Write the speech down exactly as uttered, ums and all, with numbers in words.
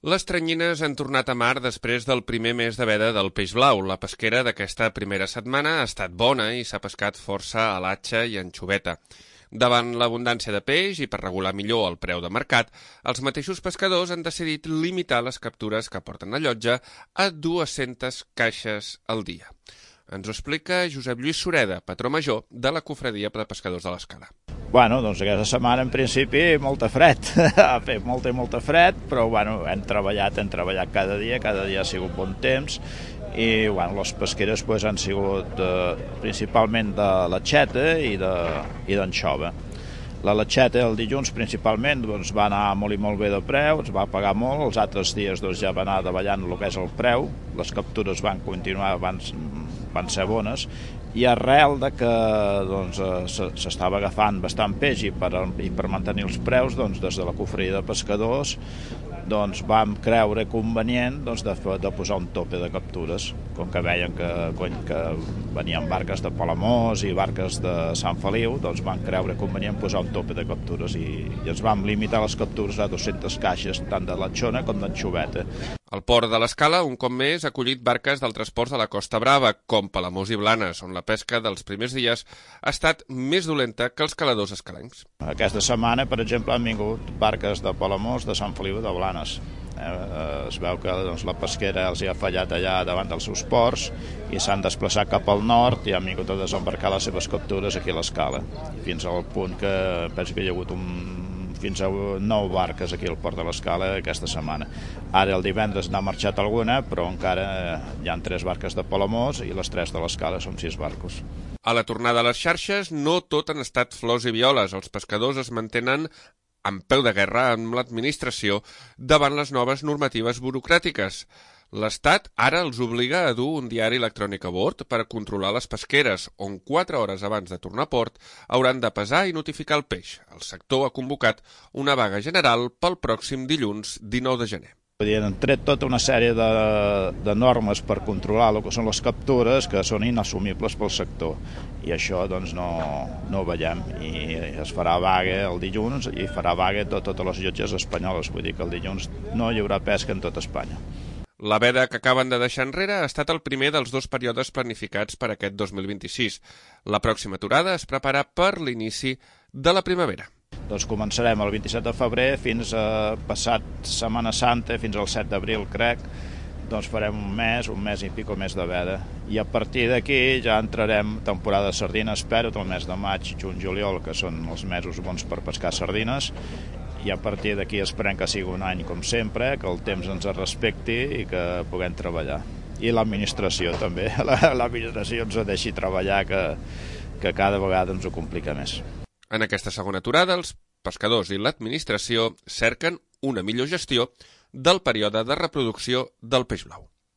Les teranyines han tornat a mar després del primer mes de veda del peix blau. La pesquera d'aquesta primera setmana ha estat bona i s'ha pescat força a l'atxa i anchoveta. Davant l'abundància de peix i per regular millor el preu de mercat, els mateixos pescadors han decidit limitar les captures que porten a llotja a dues-centes caixes al dia. Ens ho explica Josep Lluís Sureda, patró major de la Cofradia de Pescadors de l'Escala. Bueno, doncs aquesta setmana en principi molta fred, ha fet molta i molta fred, però bueno, hem treballat, hem treballat cada dia, cada dia ha sigut bon temps i bueno, les pesqueres pues, han sigut eh, principalment de latxeta i d'anxova. La latxeta el dilluns principalment doncs, va anar molt i molt bé de preu, es va pagar molt, els altres dies doncs, ja va anar davallant el que és el preu, les captures van continuar, van, van ser bones, i arrel de que doncs, s'estava agafant bastant peix i per, i per mantenir els preus, doncs, des de la Cofradia de Pescadors doncs, vam creure convenient doncs, de, de posar un tope de captures, com que veien que, que venien barques de Palamós i barques de Sant Feliu, doncs van creure convenient posar un tope de captures i, i ens vam limitar les captures a dues-centes caixes, tant de latxona com d'anchoveta. El port de l'Escala, un cop més, ha acollit barques d'altres ports de la Costa Brava, com Palamós i Blanes, on la pesca dels primers dies ha estat més dolenta que els caladors escalencs. Aquesta setmana, per exemple, han vingut barques de Palamós, de Sant Feliu i de Blanes. Eh, es veu que doncs, la pesquera els hi ha fallat allà davant dels seus ports i s'han desplaçat cap al nord i han vingut a desembarcar les seves captures aquí a l'Escala, fins al punt que penso que hi ha hagut un fins a nou barques aquí al port de l'Escala aquesta setmana. Ara el divendres n'ha marxat alguna, però encara hi ha tres barques de Palamós i les tres de l'Escala són sis barcos. A la tornada a les xarxes no tot han estat flors i violes. Els pescadors es mantenen en peu de guerra amb l'administració davant les noves normatives burocràtiques. L'Estat ara els obliga a dur un diari electrònic a bord per controlar les pesqueres, on quatre hores abans de tornar a port hauran de pesar i notificar el peix. El sector ha convocat una vaga general pel pròxim dilluns dinou de gener. Han tret tota una sèrie de, de normes per controlar el que són les captures que són inassumibles pel sector i això doncs, no, no ho veiem i es farà vaga el dilluns i farà vaga tot, totes les llotges espanyoles, vull dir que el dilluns no hi haurà pesca en tot Espanya. La veda que acaben de deixar enrere ha estat el primer dels dos períodes planificats per aquest dos mil vint-i-sis. La pròxima aturada es prepara per l'inici de la primavera. Doncs començarem el vint-i-set de febrer fins a passat Setmana Santa, fins al set d'abril, crec. Doncs farem un mes, un mes i pico més de veda. I a partir d'aquí ja entrarem temporada de sardines, espero, el mes de maig, juny, juliol, que són els mesos bons per pescar sardines. I a partir d'aquí esperem que sigui un any com sempre, que el temps ens respecti i que puguem treballar. I l'administració també, l'administració ens deixi treballar, que, que cada vegada ens ho complica més. En aquesta segona aturada, els pescadors i l'administració cerquen una millor gestió del període de reproducció del peix blau.